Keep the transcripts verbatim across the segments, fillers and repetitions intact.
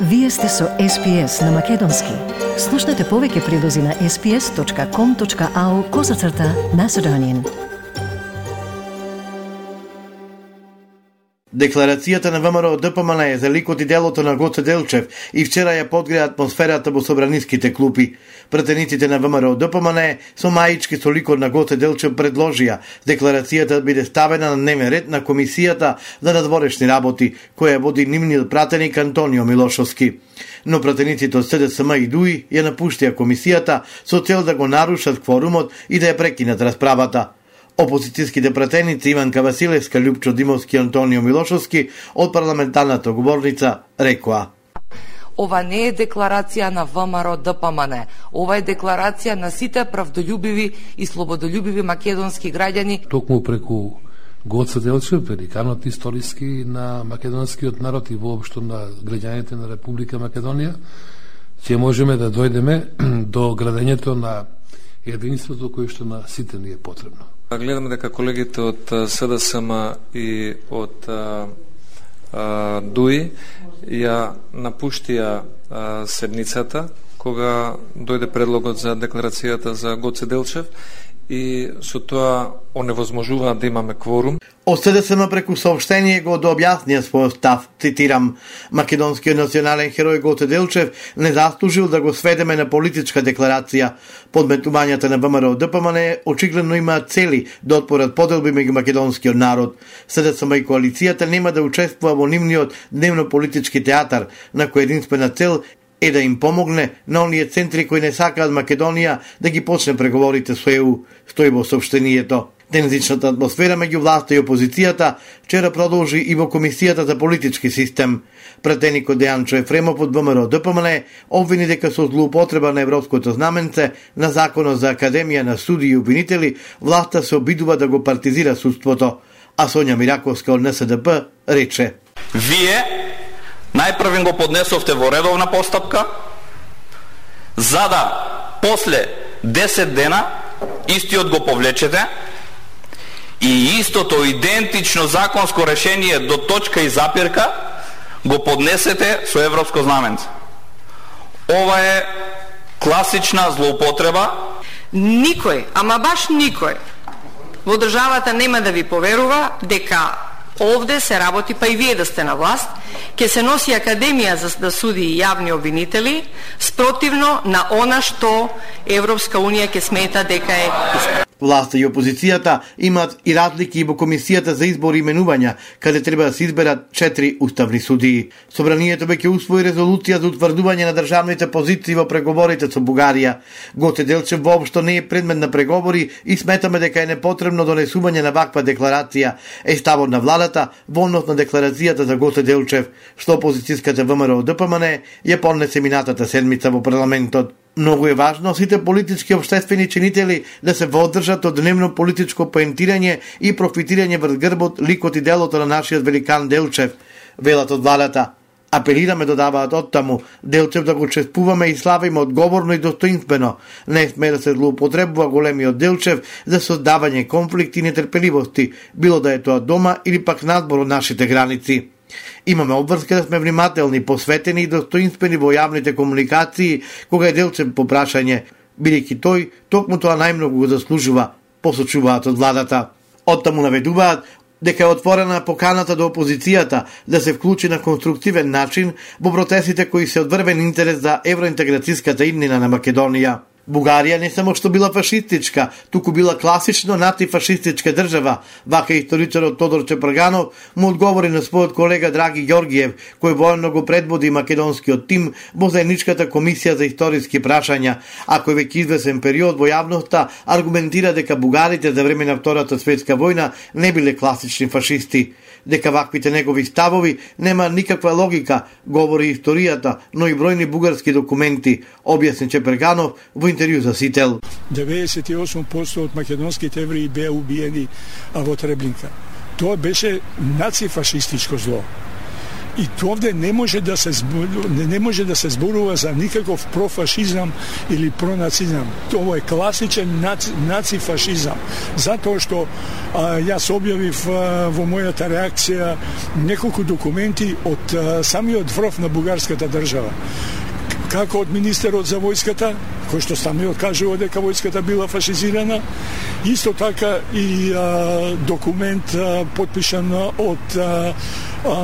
Вие сте со Ес Пи Ес на Македонски. Слушнете повеќе прилози на ес пи ес точка ком точка ау козацрта Macedonian. Декларацијата на ВМРО Д П М Н за ликот и делото на Гоце Делчев и вчера ја подгреа атмосферата во собраниските клупи. Пратениците на ВМРО Д П М Н со маички со ликот на Гоце Делчев предложија декларацијата да биде ставена на дневен ред на Комисијата за надворешни работи, која води нивниот пратеник Антонио Милошовски. Но пратениците од С Д С М и Д У И ја напуштија комисијата со цел да го нарушат кворумот и да ја прекинат расправата. Опозицијските пратеници Иванка Василевска, Љупчо Димовски и Антонио Милошовски од парламентарната говорница рекоа: Ова не е декларација на ВМРО Д П М Н. Ова е декларација на сите правдолюбиви и слободолюбиви македонски граѓани. Токму преку Гоце Делчев, великанот историски на македонскиот народ и воопшто на граѓаните на Република Македонија, ќе можеме да дојдеме до градењето на единството кое што на сите ни е потребно. Гледаме дека колегите од С Д С М и од Д У И ја напуштија седницата кога дојде предлогот за декларацијата за Гоце Делчев и со тоа оневозможува да имаме кворум. Од С Д С М преку соопштение го дообјаснија својот став, цитирам: македонскиот национален херој Гоце Делчев не заслужил да го сведеме на политичка декларација. Подметувањата на ВМРО Д П М Н очигледно имаат цели да отпорат поделби меѓу македонскиот народ. С Д С М и коалицијата нема да учествува во нивниот дневно-политички театар, на кој единствена цел е да им помогне на оние центри кои не сакаат Македонија да ги почне преговорите со Е У, стои во соопштението. Тензичната атмосфера меѓу власта и опозицијата вчера продолжи и во Комисијата за политички систем. Пратеникот Дејанчо Ефремов од ВМРО Д П М Н обвини дека со злоупотреба на европското знаменце на Законот за Академија на суди и обвинители, власта се обидува да го партизира судството. А Сонја Мираковска од Н С Д П рече: Вие најпрвен го поднесовте во редовна постапка, за да после десет дена истиот го повлечете и истото идентично законско решение до точка и запирка го поднесете со европско знаменце. Ова е класична злоупотреба. Никој, ама баш никој во државата нема да ви поверува дека овде се работи, па и вие да сте на власт, ќе се носи Академија за да суди и јавни обвинители спротивно на она што Европска Унија ќе смета дека е искра. Власта и опозицијата имаат и разлики и во Комисијата за избор и именувања, каде треба да се изберат четири уставни судии. Собранието веќе усвои резолуција за утврдување на државните позиции во преговорите со Бугарија. Гоце Делчев воопшто не е предмет на преговори и сметаме дека е непотребно донесување на ваква декларација, е ставот на владата во однос на декларацијата за Гоце Делчев, што опозицијската ВМРО Д П М Н ја поднесе минатата седмица во парламентот. Многу е важно сите политички општествени чинители да се водржат од дневно политичко поентирање и профитирање врз грбот, ликот и делото на нашиот великан Делчев, велат од владата. Апелираме, додаваат оттаму, Делчев да го чествуваме и славиме одговорно и достоинствено. Не сме да се злоупотребува големиот Делчев за создавање конфликти и нетрпеливости, било да е тоа дома или пак надбор од нашите граници. Имаме обврска да сме внимателни, посветени и достоинствени во јавните комуникации кога е Делчев по прашање, бидејќи тој токму тоа најмногу го заслужува, посочуваат од владата. Оттаму наведуваат дека е отворена поканата до опозицијата да се вклучи на конструктивен начин во протестите кои се од врвен интерес за евроинтеграцијската иднина на Македонија. Бугарија не само што била фашистичка, туку била класично натифашистичка држава, вака историчарот Тодор Чепрганов му одговори на својот колега Драги Ѓоргиев, кој воено го предводи македонскиот тим во заедничката комисија за историски прашања, а кој веќе извесен период во јавноста аргументира дека бугарите за време на Втората светска војна не биле класични фашисти. Дека ваквите негови ставови нема никаква логика, говори историјата, но и бројни бугарски документи, објасни Чепрганов во интервју за Сител. деветдесет и осум проценти од македонските евреи беа убиени во Требника. Тоа беше нацифашистичко зло. И овде не може да се зборува, не може да се зборува за никаков профашизам или пронацизам. Тоа е класичен наци, нацифашизам. Затоа што а, јас објавив а, во мојата реакција неколку документи од а, самиот врв на бугарската држава. Како од министерот за војската, кој што самиот кажува дека војската била фашизирана, исто така и а, документ а, подпишан од а, а,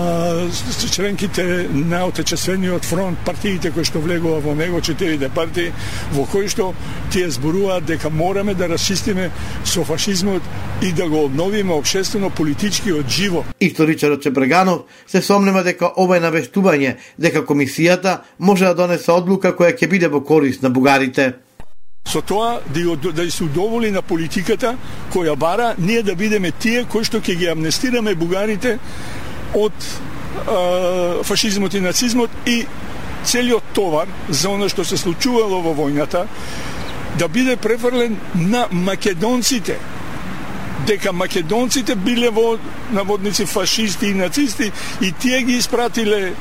членките на Отечествениот фронт, партиите кои што влегува во него, четирите партии, во кои што тие зборуваат дека мораме да расчистиме со фашизмот и да го обновиме општествено политичкиот живот. Историчарот Чепреганов се сомнува дека ова е навестување дека комисијата може да донесе одлука која ќе биде во корист на бугарите. Со тоа да, да се удоволи на политиката која бара ние да бидеме тие кои што ќе ги амнестираме бугарите од е, фашизмот и нацизмот и целиот товар за она што се случувало во војната да биде префрлен на македонците, дека македонците биле во наводници фашисти и нацисти и тие ги испратиле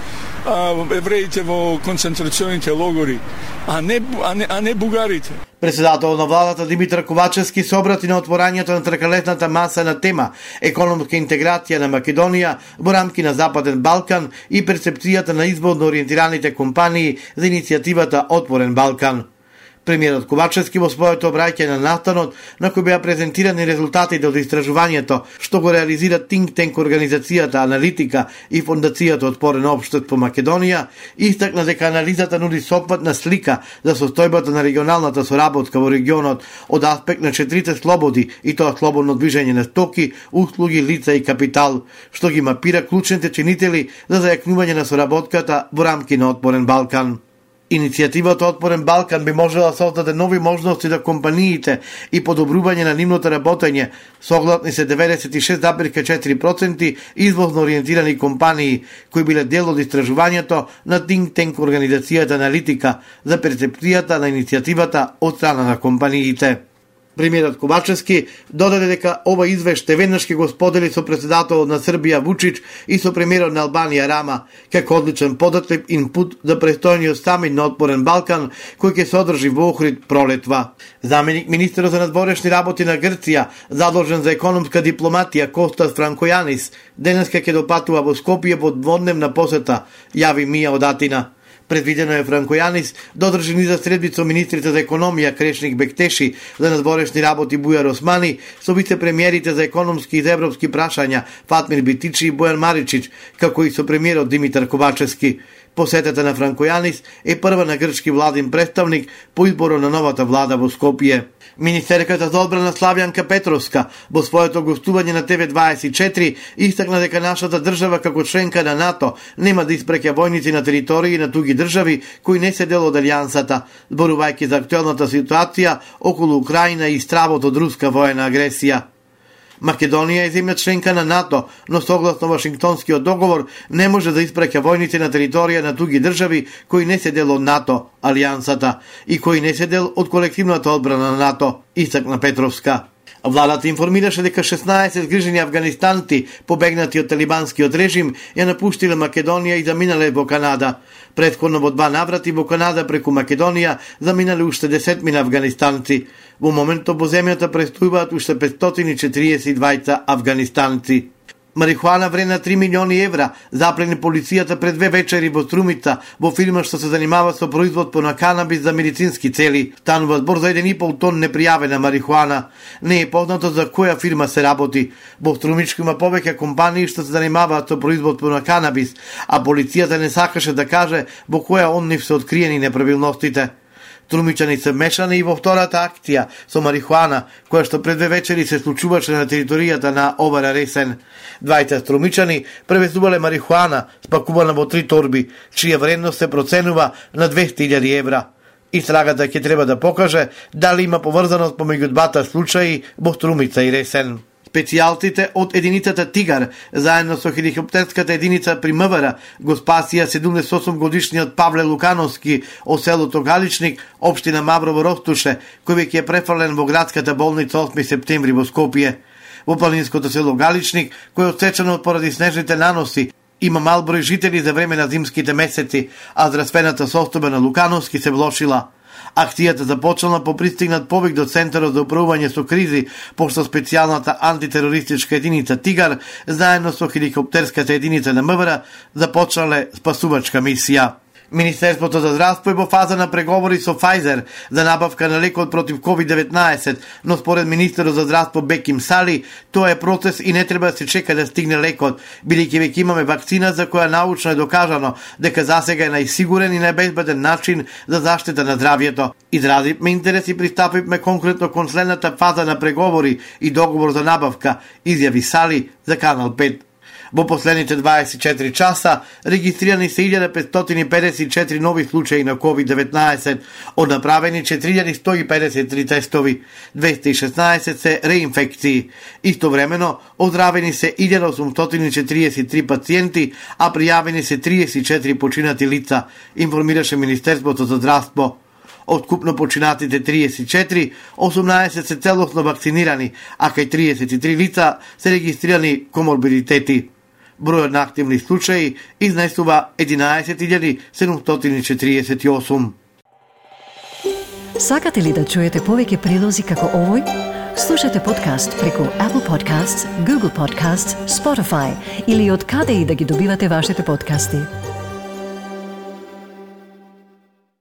а, евреите во концентрационите логори, а не, а не, а не бугарите. Председател на владата Димитар Ковачевски се обрати на отворањето на тркалетната маса на тема економска интеграција на Македонија во рамки на Западен Балкан и перцепцијата на изборно ориентираните компании за иницијативата Отворен Балкан. Премиерот Ковачевски во своето обраќање на настанот, на кој беа презентирани резултатите од истражувањето што го реализира Think Tank организацијата Аналитика и Фондацијата Отворено општество Македонија, истакна дека анализата нуди сопатна слика за состојбата на регионалната соработка во регионот од аспект на четирите слободи, и тоа слободно движење на стоки, услуги, лица и капитал, што ги мапира клучните чинители за зајакнување на соработката во рамки на Отворен Балкан. Иницијативата Отворен Балкан би можела да создаде нови можности за компаниите и подобрување на нивното работење, согласни се деветдесет и шест зарез и четири проценти извозно ориентирани компании кои биле дел од истражувањето на Think Tank организацијата Аналитика за перцепцијата на иницијативата од страна на компаниите. Премиерот Ковачевски додаде дека ова извештај веднаш ќе го сподели со председателот на Србија Вучич и со премиерот на Албанија Рама, како одличен податлив инпут за престојниот самит на Отворен Балкан, кој ќе се одржи во Охрид пролетва. Заменик министерот за надворешни работи на Грција, задолжен за економска дипломатија Костас Франкојанис, денеска ќе допатува во Скопје во дводневна посета, јави Мија од Атина. Предвидено е Франкојанис да одржи низа средби со министрите за економија Крешник Бектеши, за надворешни работи Бујар Османи, со вице-премиерите за економски и за европски прашања Фатмир Битичи и Бојан Маричич, како и со премиерот Димитар Ковачевски. Посетата на Франкојанис е прва на грчки владин представник по изборот на новата влада во Скопје. Министерката за одбрана Славјанка Петровска во своето гостување на Т В дваесет и четири истакна дека нашата држава како членка на НАТО нема да испреќа војници на територии на туги држави кои не се дел од алијансата, зборувајќи за актуелната ситуација околу Украина и стравот од руска воена агресија. Македонија е земја членка на НАТО, но согласно Вашингтонскиот договор не може да испраќа војници на територија на туги држави кои не се дел од НАТО, алијансата, и кои не се дел од колективната одбрана на НАТО, истакна Петровска. Владата информираше дека шеснаесет згрижени афганистанци, побегнати од талибанскиот режим, ја напуштиле Македонија и заминале во Канада. Претходно во два наврати во Канада преку Македонија заминале уште десетмина афганистанци. Во моментот во земјата престојуваат уште петстотини и четириесет и двајца афганистанци. Марихуана вредна три милиони евра заплени полицијата пред две вечери во Струмица, во фирма што се занимава со производство на канабис за медицински цели. Станува збор за еден и пол тон непријавена марихуана. Не е познато за која фирма се работи. Во Струмичко има повеќе компании што се занимаваат со производство на канабис, а полицијата не сакаше да каже во која од нив се откриени неправилностите. Струмичани се мешани и во втората акција со марихуана, која што пред две вечери се случуваше на територијата на Овара Ресен. Двајца струмичани превезувале марихуана спакувана во три торби, чија вредност се проценува на двесте илјади евра. Истрагата ќе треба да покаже дали има поврзаност помеѓу двата случаи во Струмица и Ресен. Специјалците од единицата Тигар, заедно со хеликоптерската единица при МВР, го спасија седумдесет и осум годишниот Павле Лукановски од селото Галичник, општина Маврово Ростуше, кој веќе е префрлен во градската болница осми септември во Скопје. Во планинското село Галичник, кој е отсечено поради снежните наноси, Има мал број жители за време на зимските месеци, а здравствената состојба на Лукановски се влошила. Акцијата започнала по пристигнат повик до Центарот за управување со кризи, пошто специјалната антитерористичка единица Тигар, заедно со хеликоптерската единица на МВР, започнале спасувачка мисија. Министерството за здравство е во фаза на преговори со Pfizer за набавка на лекот против ковид деветнаесет, но според министерот за здравство Беким Сали, тоа е процес и не треба да се чека да стигне лекот, бидејќи веќе имаме вакцина за која научно е докажано дека засега е најсигурен и најбезбеден начин за заштита на здравјето. Изразивме интерес и пристапивме конкретно кон следната фаза на преговори и договор за набавка, изјави Сали за Канал пет. Во последните дваесет и четири часа регистрирани се илјада петстотини и педесет и четири нови случаи на ковид деветнаесет, од направени четири илјади сто и педесет и три тестови, двеста и шеснаесет се реинфекции. Истовремено, оздравени се илјада осумстотини и четириесет и три пациенти, а пријавени се триесет и четири починати лица, информираше Министерството за здравство. Од купно починатите триесет и четири, осумнаесет се целосно вакцинирани, а кај триесет и три лица се регистрирани коморбидитети. Бројот на активни случаи изнесува единаесет илјади седумстотини и четириесет и осум. Сакате ли да чуете повеќе прилози како овој? Слушате подкаст преку Apple Podcasts, Google Podcasts, Spotify или од каде и да ги добивате вашите подкасти.